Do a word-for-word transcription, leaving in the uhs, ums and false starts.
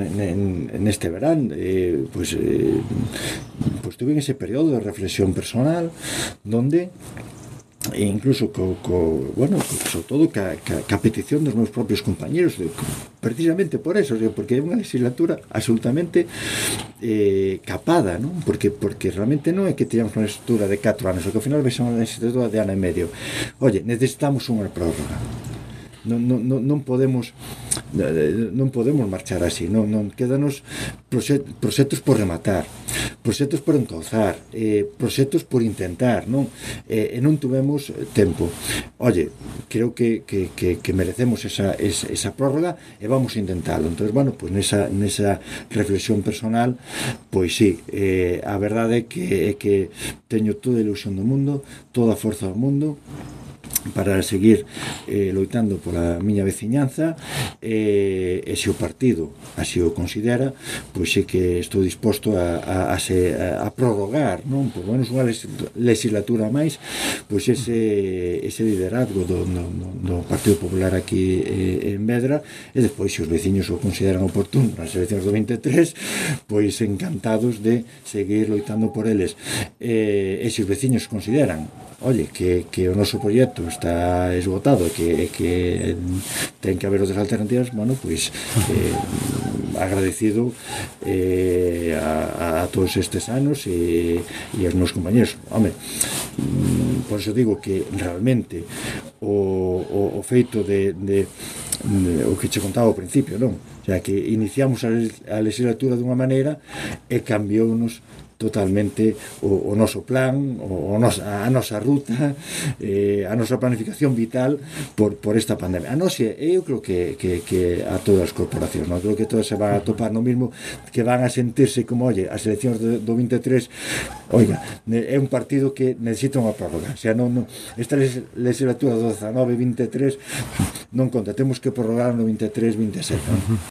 neste verán, eh, pois, eh, pois tuve ese período de reflexión personal donde e incluso co, co, bueno, sobre todo ca, ca, ca petición dos meus propios compañeros, de, precisamente por eso, porque é unha legislatura absolutamente eh, capada, non? Porque, porque realmente non é que teñamos unha legislatura de catro anos, que ao final vai ser unha legislatura de ano e medio. Oye, necesitamos unha prórroga. Non, non, non podemos non podemos marchar así, non, non quédanos proxectos por rematar, proxectos por encauzar, eh, proxectos por intentar, non? E eh, non tuvemos tempo. Oye, creo que, que, que, que merecemos esa, esa, esa prórroga e vamos a intentalo. Entón, bueno, pois nesa, nesa reflexión personal, pois sí, eh, a verdade é que, é que teño toda a ilusión do mundo, toda a forza do mundo para seguir eh, loitando pola miña veciñanza, eh, e se o partido así o considera, pois é que estou disposto a, a, a, se, a, a prorrogar, non? Por menos unha legislatura máis, pois ese, ese liderazgo do, do, do Partido Popular aquí eh, en Vedra, e despois se os veciños o consideran oportuno nas eleccións do vinte e tres, pois encantados de seguir loitando por eles. Eh, e se os veciños consideran, oye, que, que o noso proxecto está esgotado, que, que ten que haber outras alternativas, bueno, pois eh, agradecido eh, a, a todos estes anos e, e aos meus compañeros. Home, por eso digo que realmente o, o, o feito de, de, de o que che contaba ao principio, non? O sea, que iniciamos a, a legislatura dunha maneira e cambiounos totalmente o, o noso plan, o, o nos, a nosa ruta, eh, a nosa planificación vital por, por esta pandemia. A nós, eu creo que, que, que a todas as corporacións, non? Creo que todas se van a topar no mismo, que van a sentirse como, oye, as eleccións do, do vinte e tres, oiga, é un partido que necesita unha prórroga. O sea, non, non, esta legislatura do dezanove vinte e tres non conta, temos que prorrogar no vinte e tres vinte e sete. Non?